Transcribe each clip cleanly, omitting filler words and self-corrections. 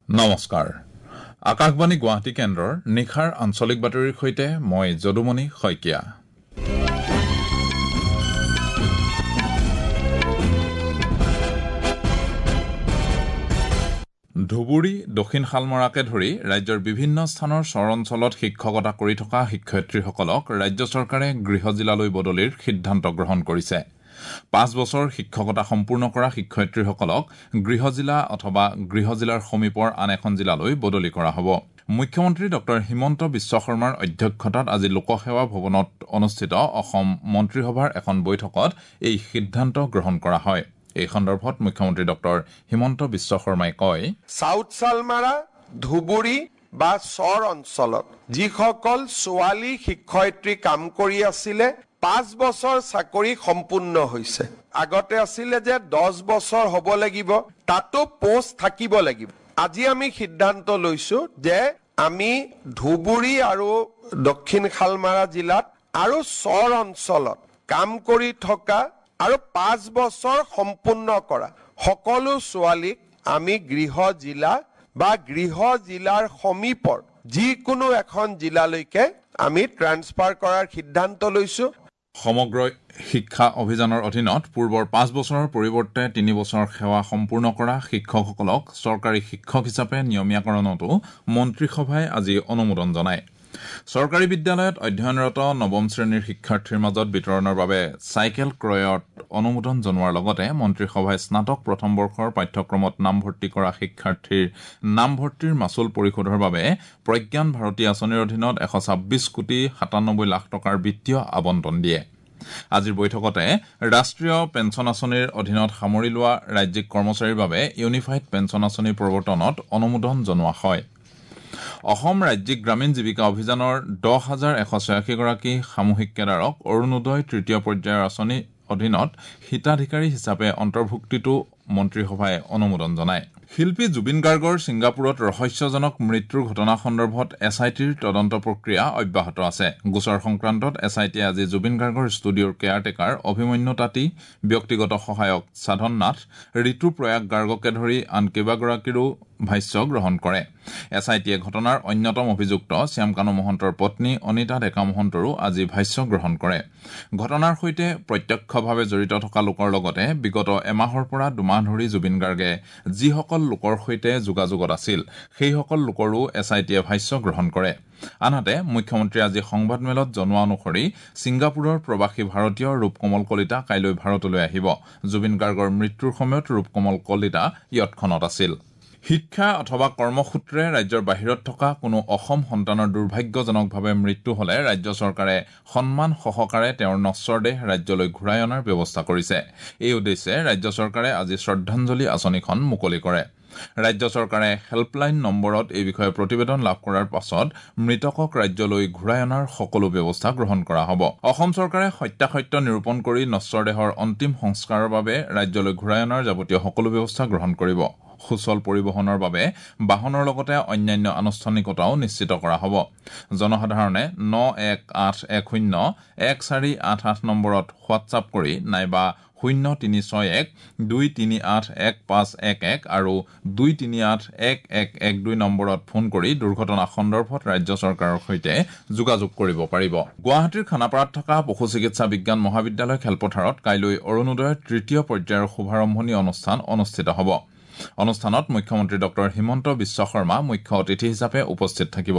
নমস্কাৰ, আকাশবাণী গুৱাহাটী কেন্দ্ৰৰ নিশাৰ আঞ্চলিক বাতৰিৰ সৈতে মই যদুমণি শইকীয়া। ধুবুৰী, দক্ষিণ শালমৰাকে ধৰি ৰাজ্যৰ বিভিন্ন স্থানৰ চৰ অঞ্চলত শিক্ষকতা কৰি থকা শিক্ষয়িত্ৰীসকলক ৰাজ্য চৰকাৰে গৃহ জিলালৈ বদলিৰ সিদ্ধান্ত গ্ৰহণ কৰিছে। 5 বছৰ শিক্ষকতা সম্পূৰ্ণ কৰা শিক্ষয়িত্ৰীসকলক গৃহ জিলা অথবা গৃহ জিলাৰ সমীপৰ আন এখন জিলালৈ বদলি কৰা হ'ব। মুখ্যমন্ত্ৰী ডঃ হিমন্ত বিশ্ব শৰ্মাৰ অধ্যক্ষতাত আজি লোকসেৱা ভৱনত অনুষ্ঠিত অসম মন্ত্ৰীসভাৰ এখন বৈঠকত এই সিদ্ধান্ত গ্ৰহণ কৰা হয়। এই সন্দৰ্ভত মুখ্যমন্ত্ৰী ডঃ হিমন্ত বিশ্ব শৰ্মাই কয়, চাউথ শালমাৰা, ধুবুৰী বা চৰ অঞ্চলত যিসকল ছোৱালী শিক্ষয়িত্ৰী কাম কৰি আছিলে, 5 বছৰ চাকৰি সম্পূৰ্ণ হৈছে। আগতে আছিলে যে 10 বছৰ হ'ব লাগিব, তাতো পোষ্ট থাকিব লাগিব। আজি আমি সিদ্ধান্ত লৈছো যে আমি ধুবুৰী আৰু দক্ষিণ শালমাৰা জিলাত আৰু চৰ অঞ্চলত কাম কৰি থকা আৰু 5 বছৰ সম্পূৰ্ণ কৰা সকলো ছোৱালীক আমি গৃহ জিলা বা গৃহ জিলাৰ সমীপৰ যিকোনো এখন জিলালৈকে আমি ট্ৰান্সফাৰ কৰাৰ সিদ্ধান্ত লৈছো। সমগ্ৰ শিক্ষা অভিযানৰ অধীনত পূৰ্বৰ 5 বছৰৰ পৰিৱৰ্তে 3 বছৰ সেৱা সম্পূৰ্ণ কৰা শিক্ষকসকলক চৰকাৰী শিক্ষক হিচাপে নিয়মীয়াকৰণতো মন্ত্ৰীসভাই আজি অনুমোদন জনায়। চৰকাৰী বিদ্যালয়ত অধ্যয়নৰত নৱম শ্ৰেণীৰ শিক্ষাৰ্থীৰ মাজত বিতৰণৰ বাবে চাইকেল ক্ৰয়ত অনুমোদন জনোৱাৰ লগতে মন্ত্ৰীসভাই স্নাতক প্ৰথম বৰ্ষৰ পাঠ্যক্ৰমত নামভৰ্তি কৰা শিক্ষাৰ্থীৰ নামভৰ্তিৰ মাচুল পৰিশোধৰ বাবে প্ৰজ্ঞান ভাৰতী আঁচনিৰ অধীনত 126 কোটি 97 লাখ টকাৰ বিত্তীয় আবণ্টন দিয়ে। আজিৰ বৈঠকতে ৰাষ্ট্ৰীয় পেঞ্চন আঁচনিৰ অধীনত সামৰি লোৱা ৰাজ্যিক কৰ্মচাৰীৰ বাবে ইউনিফাইড পেঞ্চন আঁচনি প্ৰৱৰ্তনত অনুমোদন জনোৱা হয়। অসম ৰাজ্যিক গ্ৰামীণ জীৱিকা অভিযানৰ 10,186 গৰাকী সামূহিক কেডাৰক অৰুণোদয় তৃতীয় পৰ্যায়ৰ আঁচনিৰ অধীনত হিতাধিকাৰী হিচাপে অন্তৰ্ভুক্তিতো মন্ত্ৰীসভাই অনুমোদন জনায়। শিল্পী জুবিন গাৰ্গৰ ছিংগাপুৰত ৰহস্যজনক মৃত্যুৰ ঘটনা সন্দৰ্ভত এছ I টিৰ তদন্ত প্ৰক্ৰিয়া অব্যাহত আছে। গোচৰ সংক্ৰান্তত এছ I টিয়ে আজি জুবিন গাৰ্গৰ ষ্টুডিঅ'ৰ কেয়াৰটেকাৰ অভিমন্যু তাঁতী, ব্যক্তিগত সহায়ক সাধন নাথ, ঋতু প্ৰয়াগ গাৰ্গকে ধৰি আন কেইবাগৰাকীৰো ভাষ্য গ্ৰহণ কৰে। এছ I টিয়ে ঘটনাৰ অন্যতম অভিযুক্ত শ্যামকানু মহন্তৰ পত্নী অনিতা ডেকা মহন্তৰো আজি ভাষ্য গ্ৰহণ কৰে। ঘটনাৰ সৈতে প্ৰত্যক্ষভাৱে জড়িত থকা লোকৰ লগতে বিগত এমাহৰ পৰা 2 মাহ ধৰি জুবিন গাৰ্গে যিসকল লোকৰ সৈতে যোগাযোগত আছিল, সেইসকল লোকৰো এছ I টিয়ে ভাষ্য গ্ৰহণ কৰে। আনহাতে, মুখ্যমন্ত্ৰীয়ে আজি সংবাদমেলত জনোৱা অনুসৰি ছিংগাপুৰৰ প্ৰৱাসী ভাৰতীয় ৰূপকমল কলিতা কাইলৈ ভাৰতলৈ আহিব। জুবিন গাৰ্গৰ মৃত্যুৰ সময়ত ৰূপকমল কলিতা য়টখনত আছিল। শিক্ষা অথবা কৰ্মসূত্ৰে ৰাজ্যৰ বাহিৰত থকা কোনো অসম সন্তানৰ দুৰ্ভাগ্যজনকভাৱে মৃত্যু হলে ৰাজ্য চৰকাৰে সন্মান সহকাৰে তেওঁৰ নশ্বৰ দেহ ৰাজ্যলৈ ঘূৰাই অনাৰ ব্যৱস্থা কৰিছে। এই উদ্দেশ্যে ৰাজ্য চৰকাৰে আজি শ্ৰদ্ধাঞ্জলি আঁচনিখন মুকলি কৰে। ৰাজ্য চৰকাৰে হেল্পলাইন নম্বৰত এই বিষয়ে প্ৰতিবেদন লাভ কৰাৰ পাছত মৃতকক ৰাজ্যলৈ ঘূৰাই অনাৰ সকলো ব্যৱস্থা গ্ৰহণ কৰা হ'ব। অসম চৰকাৰে সত্যাসত্য নিৰূপণ কৰি নশ্বৰ দেহৰ অন্তিম সংস্কাৰৰ বাবে ৰাজ্যলৈ ঘূৰাই অনাৰ যাৱতীয় সকলো ব্যৱস্থা গ্ৰহণ কৰিব। সুচল পৰিবহণৰ বাবে বাহনৰ লগতে অন্যান্য আনুষ্ঠানিকতাও নিশ্চিত কৰা হ'ব। জনসাধাৰণে 91810 1488 নম্বৰত হোৱাটছআপ কৰি নাইবা 0361 238 1511 আৰু 238 1112 নম্বৰত ফোন কৰি দুৰ্ঘটনা সন্দৰ্ভত ৰাজ্য চৰকাৰৰ সৈতে যোগাযোগ কৰিব পাৰিব। গুৱাহাটীৰ খানাপাৰাত থকা পশু চিকিৎসা বিজ্ঞান মহাবিদ্যালয় খেলপথাৰত কাইলৈ অৰুণোদয়ৰ তৃতীয় পৰ্যায়ৰ শুভাৰম্ভণি অনুষ্ঠান অনুষ্ঠিত হ'ব। অনুষ্ঠানত মুখ্যমন্ত্ৰী ডঃ হিমন্ত বিশ্ব শৰ্মা মুখ্য অতিথি হিচাপে উপস্থিত থাকিব।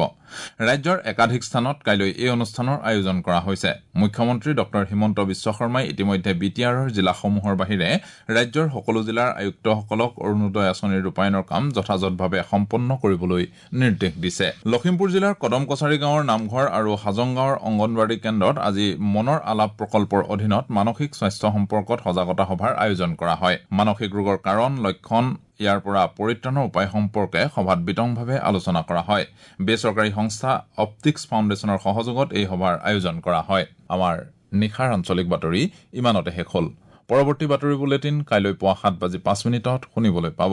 ৰাজ্যৰ একাধিক স্থানত কাইলৈ এই অনুষ্ঠানৰ আয়োজন কৰা হৈছে। মুখ্যমন্ত্ৰী ডঃ হিমন্ত বিশ্ব শৰ্মাই ইতিমধ্যে বি টি আৰৰ জিলাসমূহৰ বাহিৰে ৰাজ্যৰ সকলো জিলাৰ আয়ুক্তসকলক অৰুণোদয় আঁচনিৰ ৰূপায়ণৰ কাম যথাযথভাৱে সম্পন্ন কৰিবলৈ নিৰ্দেশ দিছে। লখিমপুৰ জিলাৰ কদম কছাৰী গাঁৱৰ নামঘৰ আৰু হাজং গাঁৱৰ অংগনৱাড়ী কেন্দ্ৰত আজি মনৰ আলাপ প্ৰকল্পৰ অধীনত মানসিক স্বাস্থ্য সম্পৰ্কত সজাগতা সভাৰ আয়োজন কৰা হয়। মানসিক ৰোগৰ কাৰণ, লক্ষণ, ইয়াৰ পৰা পৰিত্ৰাণৰ উপায় সম্পৰ্কে সভাত বিতংভাৱে আলোচনা কৰা হয়। বেচৰকাৰী সংস্থা অপটিক্স ফাউণ্ডেশ্যনৰ সহযোগত এই সভাৰ আয়োজন কৰা হয়। আমাৰ নিশাৰ আঞ্চলিক বাতৰি ইমানতে শেষ হ'ল। পৰৱৰ্তী বাতৰি বুলেটিন কাইলৈ পুৱা 7 বাজি 5 মিনিটত শুনিবলৈ পাব।